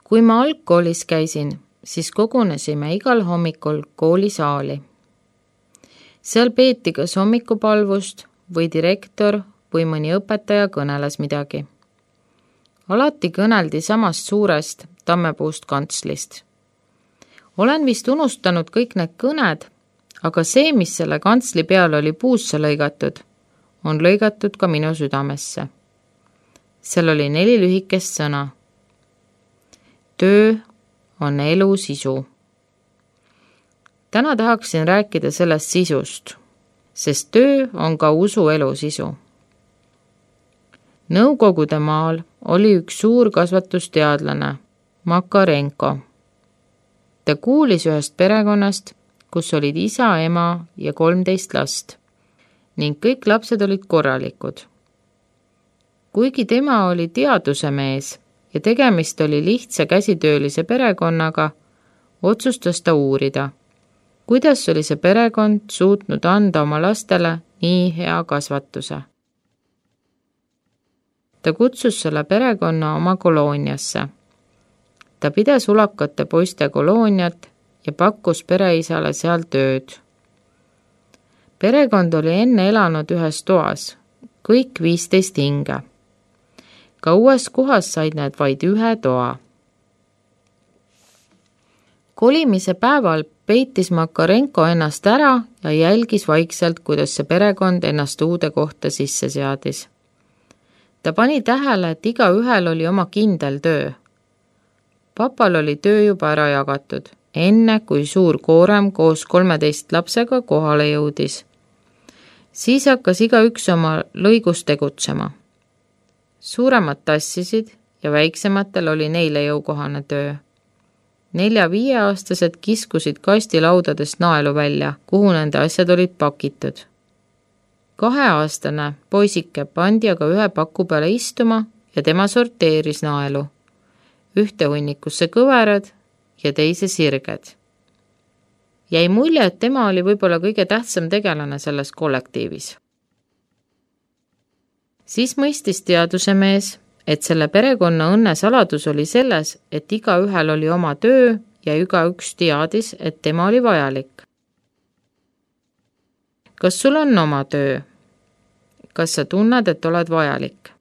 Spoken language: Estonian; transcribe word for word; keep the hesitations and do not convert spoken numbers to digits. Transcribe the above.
Kui ma algkoolis käisin, siis kogunesime igal hommikul koolisaali. Seal peeti kas hommikupalvust või direktor või mõni õpetaja kõneles midagi. Alati kõneldi samast suurest tammepuust kantslist. Olen vist unustanud kõik need kõned, aga see, mis selle kantsli peal oli puusse lõigatud, on lõigatud ka minu südamesse. Seal oli neli lühikest sõna. Töö on elu sisu. Täna tahaksin rääkida sellest sisust, sest töö on ka usu elu sisu. Nõukogude maal oli üks suur kasvatusteadlane, Makarenko. Ta kuulis ühest perekonnast, kus olid isa, ema ja kolmteist last ning kõik lapsed olid korralikud. Kuigi tema oli teaduse mees ja tegemist oli lihtsa käsitöölise perekonnaga, otsustas ta uurida, kuidas oli see perekond suutnud anda oma lastele nii hea kasvatuse. Ta kutsus selle perekonna oma kolooniasse. Ta pidas ulakate poiste kolooniat ja pakkus pereisale seal tööd. Perekond oli enne elanud ühes toas, kõik viisteist hinge. Ka uues kohas said need vaid ühe toa. Kolimise päeval peitis Makarenko ennast ära ja jälgis vaikselt, kuidas see perekond ennast uude kohta sisse seadis. Ta pani tähele, et iga ühel oli oma kindel töö. Papal oli töö juba ära jagatud, enne kui suur koorem koos kolmeteist lapsega kohale jõudis. Siis hakkas iga üks oma lõigus tegutsema. Suuremad tassisid ja väiksematel oli neile jõukohane töö. Nelja-viieaastased kiskusid kastilaudadest naelu välja, kuhu nende asjad olid pakitud. Kaheaastane poisike pandi aga ühe paku peale istuma ja tema sorteeris naelu. Ühte hunnikusse kõverad ja teise sirged. Jäi mulje, et tema oli võib-olla kõige tähtsam tegelane selles kollektiivis. Siis mõistis teaduse mees, et selle perekonna õnne saladus oli selles, et iga ühel oli oma töö ja iga üks teadis, et tema oli vajalik. Kas sul on oma töö? Kas sa tunned, et oled vajalik?